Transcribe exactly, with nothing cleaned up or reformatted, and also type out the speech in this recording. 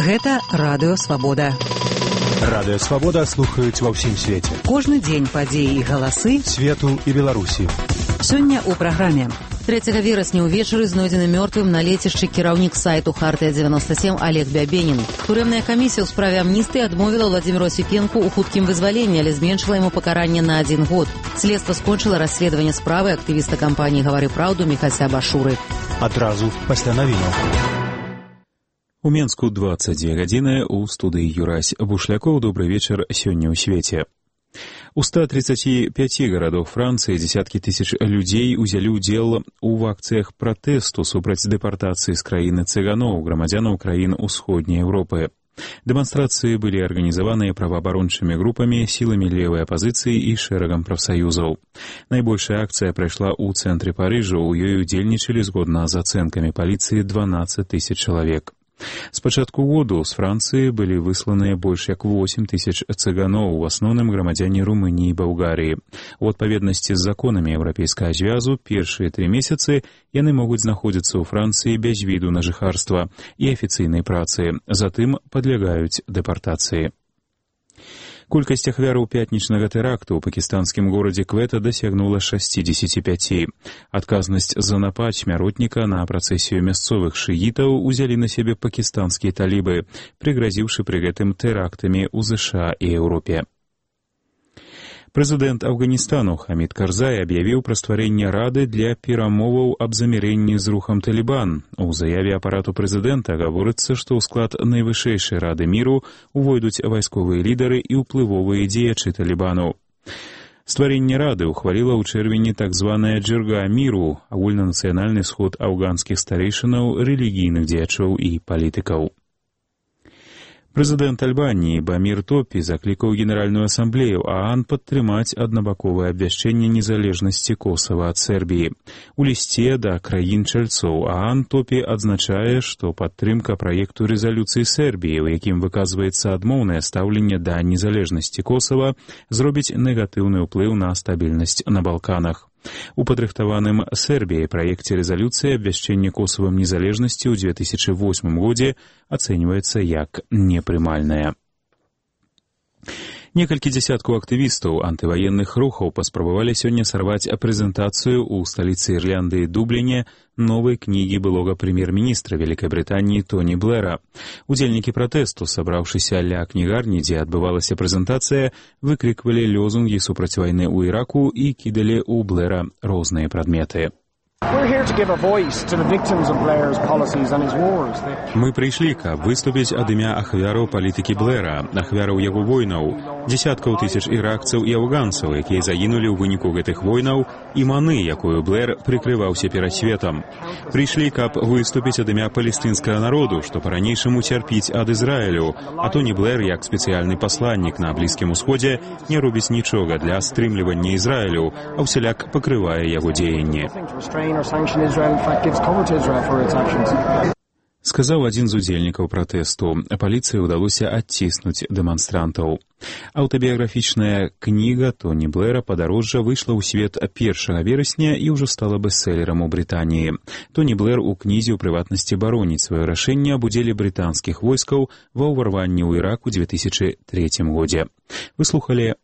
Гэта Радыё Свабода. Радыё Свабода слухаюць ва ўсім свеце. Кожны дзень падзеі і галасы свету і Беларусі. Сёння ў праграме. трэцяга верасня ўвечары знойдзены мёртвым на лецішчы кіраўнік сайту Хартыя дзевяноста сем Олег Бябенін. Турэмная камісія ў справе амністыі адмовіла Владзіміру Асіпенку ў хуткім вызваленні, але зменшыла яму пакаранне на адзін год. Следства скончыла расследаванне справы актывіста кампаніі «Гавары праўду» Міхася Башуры. Адразу пасля навінаў. У Менску дваццаць дзве гадзіны, у студыі Юрась Бушлякоў. Добры вечар сёння ў свеце. У ста тридцати пяти гарадах Францыі дзесяткі тысяч людзей узялі ўдзел у акцыях пратэсту супраць дэпартацыі з краіны цыганоў, грамадзянаў краін усходняй Еўропы. Дэманстрацыі былі арганізаваныя праваабарончымі групамі, сіламі левай апазіцыі і шэрагам прафсаюзаў. Найбольшая акцыя прайшла ў цэнтры Парыжа, у ёй удзельнічалі згодна з ацэнкамі паліцыі дванаццаць тысяч чалавек. З пачатку году з Францыі былі высланыя больш як восем тысяч цыганоў, у асноўным грамадзяне Румыніі і Балгарыі. У адпаведнасці з законамі Еўрапейскага звязу першыя тры месяцы яны могуць знаходзіцца ў Францыі без віду на жыхарства і афіцыйнай працы, затым падлягаюць дэпартацыі. Колькасць ахвяраў пятнічнага тэракту ў пакістанскім горадзе Квета дасягнула шэсцідзесяці пяці. Адказнасць за напад смяротніка на працэсію мясцовых шыітаў узялі на сябе пакістанскія талібы, прыгразіўшы пры гэтым тэрактамі ў ЗША і Еўропе. Прэзідэнт Афганістану Хамід Карзай аб'явіў пра стварэнне рады для перамоваў аб замірэнні з рухам Талібан. У заяве апарату прэзідэнта гаворыцца, што ў склад найвышэйшай рады міру увойдуць вайсковыя лідары і ўплывовыя дзеячы Талібану. Стварэнне рады ўхваліла ў чэрвені так званая «Джырга міру», агульнанацыянальны сход афганскіх старэйшынаў, рэлігійных дзеячоў і палітыкаў. Прэзідэнт Альбаніі Бамір Топі заклікаў Генеральную асамблею ААН падтрымаць аднабаковае абвяшчэнне незалежнасці Косава ад Сербіі. У лісце да краін-чальцоў ААН Топі адзначае, што падтрымка праекту рэзалюцыі Сербіі, у якім выказваецца адмоўнае стаўленне да незалежнасці Косава, зробіць негатыўны ўплыў на стабільнасць на Балканах. У падрыхтаваным Сербіяй праекце рэзалюцыі абвяшчэнне Косавам незалежнасці ў дзве тысячы восьмым годзе ацэньваецца як непрымальнае. Некалькі дзесяткаў актывістаў антываенных рухаў паспрабавалі сёння сарваць прэзентацыю ў сталіцы Ірландыі Дубліне новай кнігі былога прэм'ер-міністра Вялікай Брытаніі Тоні Блэра. Удзельнікі пратэсту, сабраўшыся ля кнігарні, дзе адбывалася прэзентацыя, выкриквалі лёзунгі супраць вайны ў Іраку і кідалі ў Блэра розныя прадметы. Мы прыйшлі, каб выступіць ад імя ахвяраў палітыкі Блэра, ахвяраў яго войнаў, дзесяткаў тысяч іракцаў і афганцаў, якія загінулі ў выніку гэтых войнаў, і маны, якую Блэр прыкрываўся перад светам. Прыйшлі, каб выступіць ад імя палестынскага народу, што па-ранейшаму цярпіць ад Ізраілю, а Тоні Блэр, як спецыяльны пасланнік на Блізкім усходзе, не робіць нічога для стрымлівання Ізраілю, а ўсяляк пакрывае яго дзеянні. Сказаў адзін з удзельнікаў пратэсту. Паліцыі ўдалося адціснуць дэманстрантаў. Аўтабіяграфічная кніга Тоні Блэра «Падарожжа» выйшла ў свет першага верасня і ўжо стала бэстселерам у Брытаніі. Тоні Блэр у кнізе ў прыватнасці бароніць сваё рашэнне аб удзеле брытанскіх войскаў ва ўварванні ў Ірак у дзве тысячы трэцім годзе. Вы слухалі